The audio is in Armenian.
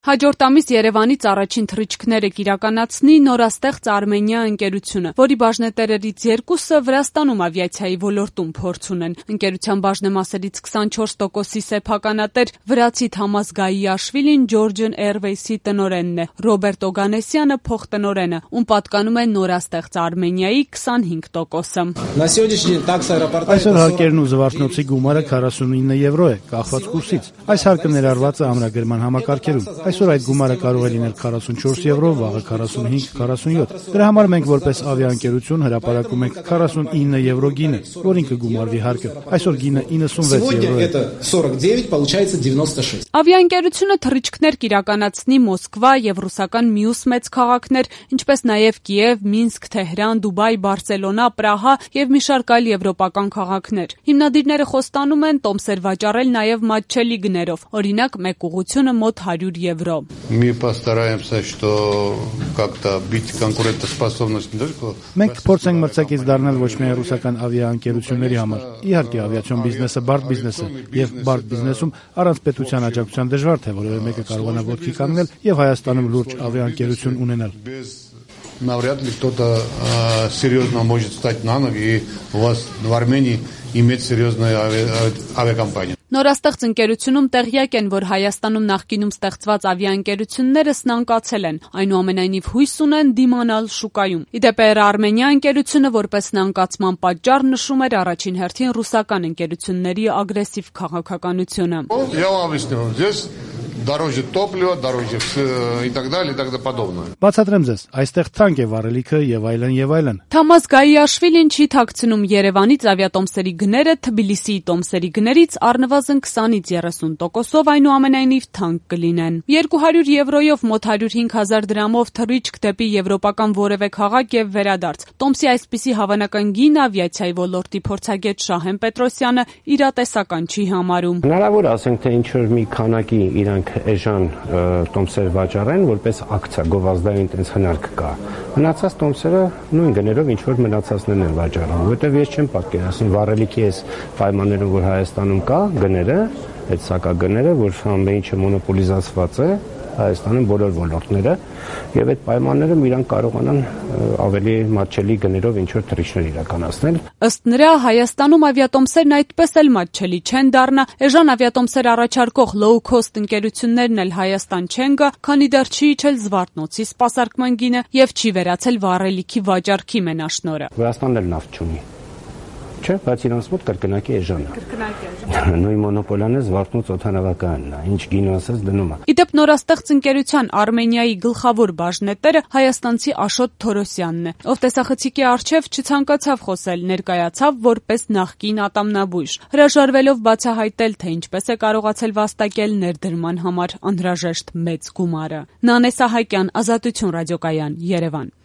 Հաջորդ ամիս Երևանից առաջին թռիչքները կիրականացնի նորաստեղծ Արմենիա ընկերությունը, որի բաժնետերերից երկուսը Վրաստանում ավիացիայի ոլորտում փորձ ունեն։ Ընկերության բաժնեմասերից 24%-ի սեփականատեր վրացի Թամաս Գայիաշվիլին Georgian Airways-ի տնօրենն է, Ռոբերտ Օգանեսյանը փոխտնօրենը, ում պատկանում է նորաստեղծ Արմենիայի 25%-ը։ Այսօր հարկերն ու զվարթնոցի գումարը 49 եվրո է, կախված կուրսից։ Այս հարկը ներառված է ամրագրման համակարգերում։ Այսօր այդ գումարը կարող է լինել 44 եվրո, վաղը 45-47։ Դրա համար մենք որպես ավիաընկերություն հրապարակում ենք 49 եվրո գինը, որին կգումարվի հարկը։ Այսօր գինը 96 եվրո է։ Ավիաընկերությունը թռիչքներ կիրականացնի Մոսկվա եւ ռուսական մյուս մեծ քաղաքներ, ինչպես նաեւ Կիև, Մինսկ, Թեհրան, Դուբայ, Բարսելոնա, Պրահա եւ մի շարք այլ եվրոպական քաղաքներ։ Հիմնադիրները խոստանում են տոմսեր վաճառել նաեւ մատչելի գներով, օրինակ մեկ ուղղությունը մոտ 100 եվրո։ Մենք կփորձենք մրցակից դառնալ ոչ միայն ռուսական ավիաընկերությունների համար։ Իհարկե, ավիացիոն բիզնեսը բարդ բիզնես է, եւ բարդ բիզնեսում առանց պետության աջակցության դժվար թե որևէ մեկը կարողանա ոտքի կանգնել եւ Հայաստանում լուրջ ավիաընկերություն ունենալ։ Навряд ли кто-то серьезно может встать на ноги, и у вас в Армении иметь серьезную авиакомпанию. Նորաստեղծ ընկերությունում տեղյակ են, որ Հայաստանում նախկինում ստեղծված ավիաընկերությունները սնանկացել են, այնուամենայնիվ հույս ունեն դիմանալ շուկայում։ Իդեպ Air Armenia ընկերությունը որպես սնանկացման պատճառ նշում էր առաջին հերթին ռուսական ընկերությունների ագրեսիվ քաղաքականությունը։ Дороже топлива, дороже и так далее, и так подобное. Բացատրեմ ձեզ, այստեղ թանկ է վառելիքը եւ այլն եւ այլն։ Թամաս Գայիաշվիլին չի թաքցնում Երևանից ավիատոմսերի գները Թբիլիսիի տոմսերի գներից առնվազն 20-ից 30%-ով այնուամենայնիվ թանկ կլինեն։ 200 եվրոյով մոտ 105,000 դրամով թռիչք դեպի եվրոպական որևէ քաղաք եւ վերադարձ։ Տոմսի այսպիսի հավանական գինը ավիացիայի ոլորտի փորձագետ Շահեն Պետրոսյանը իրատեսական չի համարում։ Հնարավոր ասենք թե ինչ որ մի քանակի իրանք էժան տոմսեր վաճառեն, որպես ակցիա, գովազդային տենց հնարք կա։ Մնացած տոմսերը նույն գներով ինչ որ մնացածներն են վաճառում, որտեվ ես չեմ պատկերացնում վառելիքի այս պայմաններում, որ Հայաստանում կա գները, այդ սակագները, որ ամեն ինչը մոնոպոլիզացված է Հայաստանում բոլոր ոլորտները, եւ այդ պայմաններում իրանք կարողանան ավելի մատչելի գներով ինչ որ թռիչքներ իրականացնել։ Ըստ նրա, Հայաստանում ավիատոմսերն այդպես էլ մատչելի չեն դառնա, էժան ավիատոմսեր առաջարկող low-cost ընկերություններն էլ Հայաստան չեն գա, քանի դեռ չի իջել Զվարթնոցի սպասարկման գինը եւ չի վերացել վառելիքի վաճառքի մենաշնորհը։ Վրաստանն էլ նավթ չունի։ Չէ, բայց իրանց մոտ կրկնակի էժան է։ Նույն մոնոպոլիան է Զվարթնոց օդանավականն է, ինչ գինը ասես դնում է։ Իդեպ նորաստեղծ ընկերության Արմենիայի գլխավոր բաժնետերը հայաստանցի Աշոտ Թորոսյանն է, ով տեսախցիկի առջև չցանկացավ խոսել, ներկայացավ որպես նախկին ատամնաբույժ, հրաժարվելով բացահայտել, թե ինչպես է կարողացել վաստակել ներդրման համար անհրաժեշտ մեծ գումարը։ Նանե Սահակյան, Ազատություն ռադիոկայան, Երևան։